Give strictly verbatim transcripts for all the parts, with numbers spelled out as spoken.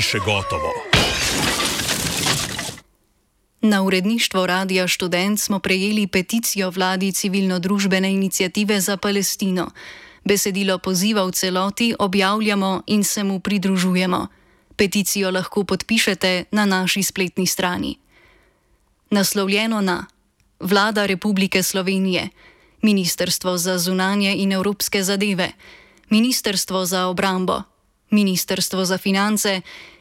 ni še gotovo. Na uredništvo Radia Študent smo prejeli peticijo vladi civilno-družbene iniciative za Palestino. Besedilo poziva v celoti objavljamo in se mu pridružujemo. Peticijo lahko podpišete na naši spletni strani. Naslovljeno na Vlada Republike Slovenije, Ministrstvo za zunanje in evropske zadeve, Ministrstvo za obrambo, Ministrstvo za finance,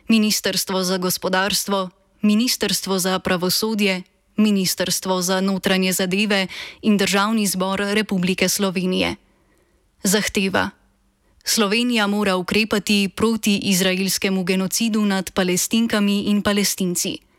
Ministrstvo za gospodarstvo, Ministrstvo za pravosodje, Ministrstvo za notranje zadeve in Državni zbor Republike Slovenije. Zahteva: Slovenija mora ukrepati proti izraelskemu genocidu nad Palestinkami in Palestinci.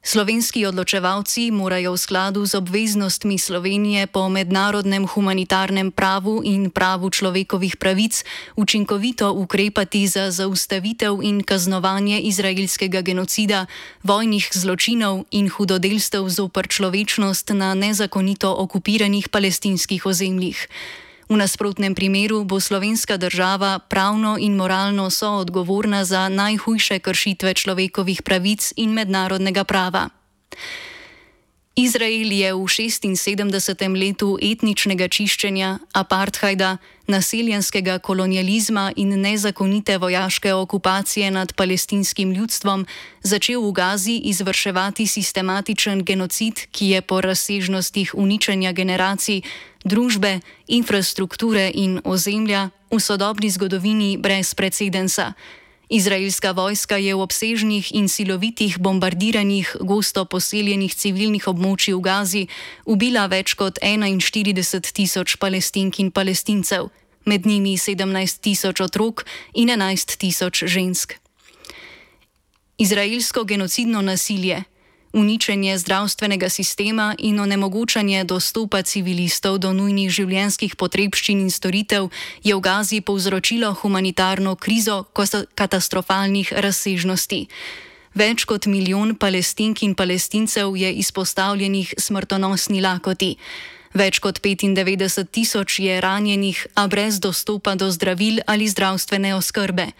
Slovenski odločevalci morajo v skladu z obveznostmi Slovenije po mednarodnem humanitarnem pravu in pravu človekovih pravic učinkovito ukrepati za zaustavitev in kaznovanje izraelskega genocida, vojnih zločinov in hudodelstev zoper človečnost na nezakonito okupiranih palestinskih ozemljih. V nasprotnem primeru bo slovenska država pravno in moralno soodgovorna za najhujše kršitve človekovih pravic in mednarodnega prava. Izrael je v šestinsedemdesetem letu etničnega čiščenja, apartheida, naseljenskega kolonializma in nezakonite vojaške okupacije nad palestinskim ljudstvom začel v Gazi izvrševati sistematičen genocid, ki je po razsežnostih uničenja generacij, družbe, infrastrukture in ozemlja v sodobni zgodovini brez precedensa. Izraelska vojska je v obsežnih in silovitih bombardiranjih gosto poseljenih civilnih območij v Gazi ubila več kot enainštirideset tisoč Palestink in Palestincev, med njimi sedemnajst tisoč otrok in enajst tisoč žensk. Izraelsko genocidno nasilje, uničenje zdravstvenega sistema in onemogočanje dostopa civilistov do nujnih življenjskih potrebščin in storitev je v Gazi povzročilo humanitarno krizo katastrofalnih razsežnosti. Več kot milijon Palestink in Palestincev je izpostavljenih smrtonosni lakoti. Več kot petindevetdeset tisoč je ranjenih, a brez dostopa do zdravil ali zdravstvene oskrbe.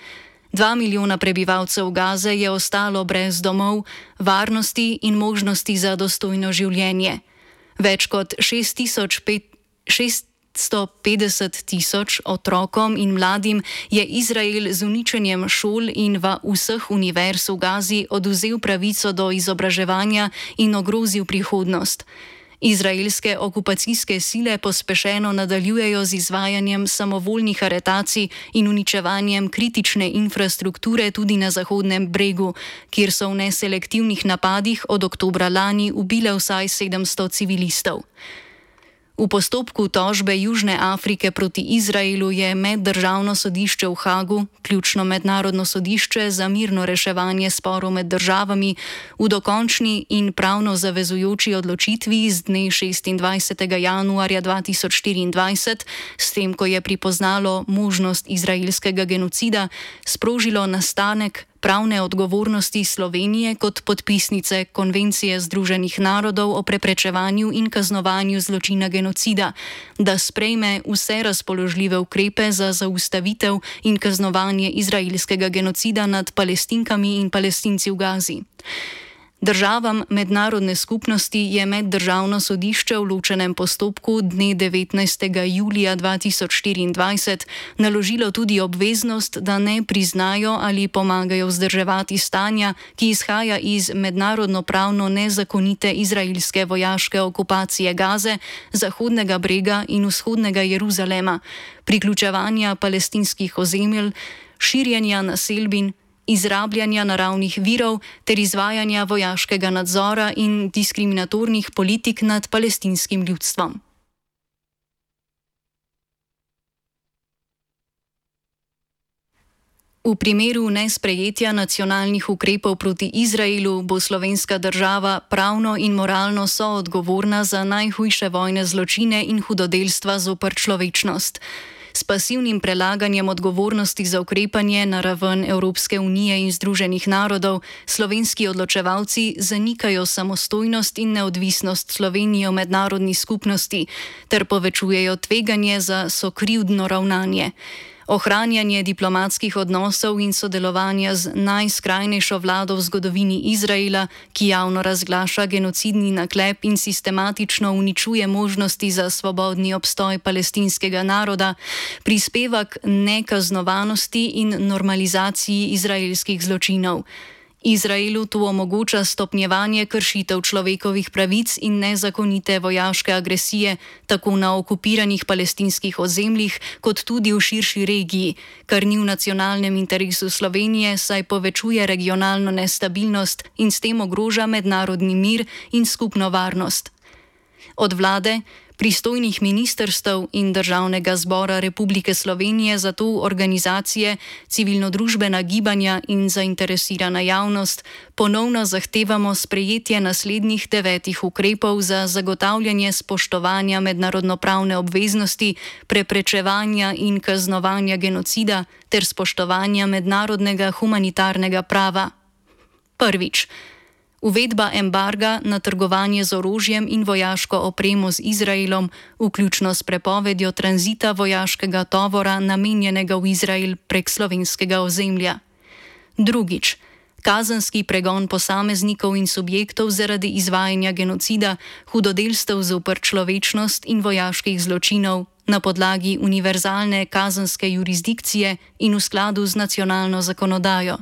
Dva milijona prebivalcev Gaze je ostalo brez domov, varnosti in možnosti za dostojno življenje. Več kot šeststo petdeset tisoč otrokom in mladim je Izrael z uničenjem šol in vseh univerz v Gazi odvzel pravico do izobraževanja in ogrozil prihodnost. Izraelske okupacijske sile pospešeno nadaljujejo z izvajanjem samovoljnih aretacij in uničevanjem kritične infrastrukture tudi na Zahodnem bregu, kjer so v neselektivnih napadih od oktobra lani ubile vsaj sedemsto civilistov. V postopku tožbe Južne Afrike proti Izraelu je meddržavno sodišče v Hagu, ključno mednarodno sodišče za mirno reševanje sporov med državami, v dokončni in pravno zavezujoči odločitvi z dne šestindvajsetega januarja dva tisoč štiriindvajset, s tem, ko je pripoznalo možnost izraelskega genocida, sprožilo nastanek pravne odgovornosti Slovenije kot podpisnice Konvencije Združenih narodov o preprečevanju in kaznovanju zločina genocida, da sprejme vse razpoložljive ukrepe za zaustavitev in kaznovanje izraelskega genocida nad Palestinkami in Palestinci v Gazi. Državam mednarodne skupnosti je meddržavno sodišče v ločenem postopku dne devetnajstega julija dva tisoč štiriindvajset naložilo tudi obveznost, da ne priznajo ali pomagajo vzdrževati stanja, ki izhaja iz mednarodno pravno nezakonite izraelske vojaške okupacije Gaze, Zahodnega brega in vzhodnega Jeruzalema, priključevanja palestinskih ozemelj, širjenja naselbin, izrabljanja naravnih virov ter izvajanja vojaškega nadzora in diskriminatornih politik nad palestinskim ljudstvom. V primeru nesprejetja nacionalnih ukrepov proti Izraelu bo slovenska država pravno in moralno soodgovorna za najhujše vojne zločine in hudodelstva zoper človečnost. S pasivnim prelaganjem odgovornosti za ukrepanje na raven Evropske unije in Združenih narodov slovenski odločevalci zanikajo samostojnost in neodvisnost Slovenije v mednarodni skupnosti ter povečujejo tveganje za sokrivdno ravnanje. ohranjanje diplomatskih odnosov in sodelovanja z najskrajnejšo vlado v zgodovini Izraela, ki javno razglaša genocidni naklep in sistematično uničuje možnosti za svobodni obstoj palestinskega naroda, prispeva k nekaznovanosti in normalizaciji izraelskih zločinov. Izraelu to omogoča stopnjevanje kršitev človekovih pravic in nezakonite vojaške agresije tako na okupiranih palestinskih ozemljih kot tudi v širši regiji, kar ni v nacionalnem interesu Slovenije, saj povečuje regionalno nestabilnost in s tem ogroža mednarodni mir in skupno varnost. Od vlade, pristojnih ministrstev in Državnega zbora Republike Slovenije zato organizacije, civilno-družbena gibanja in zainteresirana javnost ponovno zahtevamo sprejetje naslednjih devetih ukrepov za zagotavljanje spoštovanja mednarodnopravne obveznosti, preprečevanja in kaznovanja genocida ter spoštovanja mednarodnega humanitarnega prava. Prvič. Uvedba embarga na trgovanje z orožjem in vojaško opremo z Izraelom, vključno s prepovedjo tranzita vojaškega tovora namenjenega v Izrael prek slovenskega ozemlja. Drugič. Kazenski pregon posameznikov in subjektov zaradi izvajanja genocida, hudodelstev zoper človečnost in vojaških zločinov na podlagi univerzalne kazenske jurisdikcije in v skladu z nacionalno zakonodajo.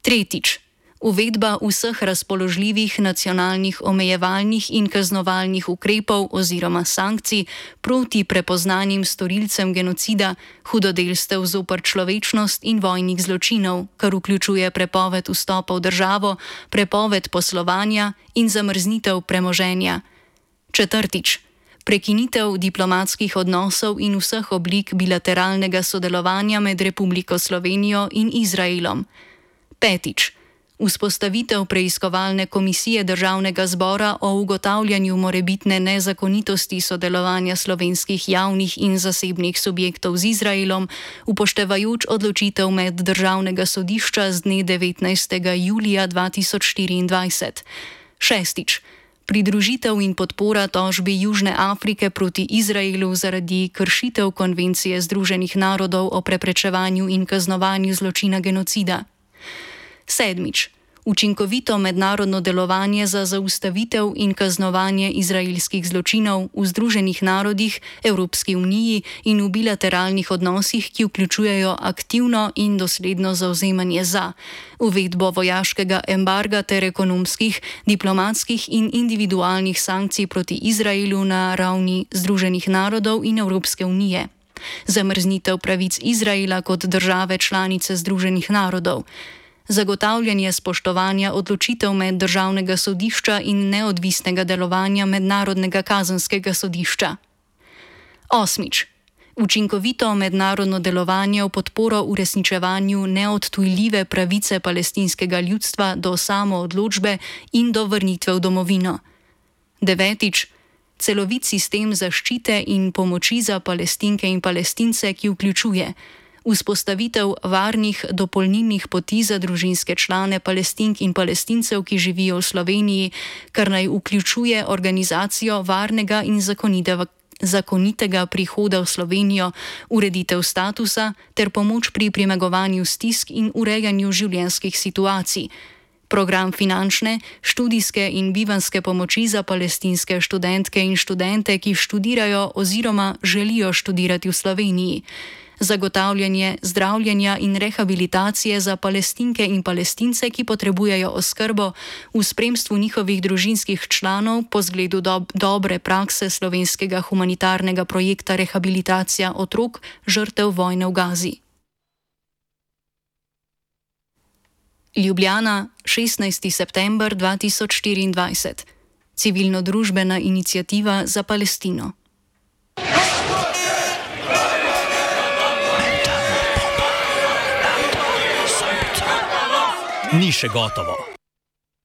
Tretjič. Uvedba vseh razpoložljivih nacionalnih omejevalnih in kaznovalnih ukrepov oziroma sankcij proti prepoznanim storilcem genocida, hudodelstev zoper človečnost in vojnih zločinov, kar vključuje prepoved vstopa v državo, prepoved poslovanja in zamrznitev premoženja. Četrtič. Prekinitev diplomatskih odnosov in vseh oblik bilateralnega sodelovanja med Republiko Slovenijo in Izraelom. Petič. Vzpostavitev preiskovalne komisije Državnega zbora o ugotavljanju morebitne nezakonitosti sodelovanja slovenskih javnih in zasebnih subjektov z Izraelom, upoštevajoč odločitev Meddržavnega sodišča z dne devetnajstega julija dva tisoč štiriindvajset. Šestič. Pridružitev in podpora tožbi Južne Afrike proti Izraelu zaradi kršitev Konvencije Združenih narodov o preprečevanju in kaznovanju zločina genocida. Sedmič. Učinkovito mednarodno delovanje za zaustavitev in kaznovanje izraelskih zločinov v Združenih narodih, Evropski uniji in v bilateralnih odnosih, ki vključujejo aktivno in dosledno zavzemanje za uvedbo vojaškega embarga ter ekonomskih, diplomatskih in individualnih sankcij proti Izraelu na ravni Združenih narodov in Evropske unije, zamrznitev pravic Izraela kot države članice Združenih narodov, zagotavljanje spoštovanja odločitev Meddržavnega sodišča in neodvisnega delovanja Mednarodnega kazenskega sodišča. Osmič. Učinkovito mednarodno delovanje v podporo uresničevanju neodtujljive pravice palestinskega ljudstva do samoodločbe in do vrnitve v domovino. Devetič. Celovit sistem zaščite in pomoči za Palestinke in Palestince, ki vključuje vzpostavitev varnih dopolnilnih poti za družinske člane Palestink in Palestincev, ki živijo v Sloveniji, kar naj vključuje organizacijo varnega in zakonitega, zakonitega prihoda v Slovenijo, ureditev statusa ter pomoč pri premagovanju stisk in urejanju življenjskih situacij, program finančne, študijske in bivanjske pomoči za palestinske študentke in študente, ki študirajo oziroma želijo študirati v Sloveniji, zagotavljanje zdravljenja in rehabilitacije za Palestinke in Palestince, ki potrebujejo oskrbo v spremstvu njihovih družinskih članov po zgledu do dobre prakse slovenskega humanitarnega projekta Rehabilitacija otrok žrtev vojne v Gazi. Ljubljana, šestnajsti september dva tisoč štiriindvajset. Civilno-družbena iniciativa za Palestino. Ni še gotovo.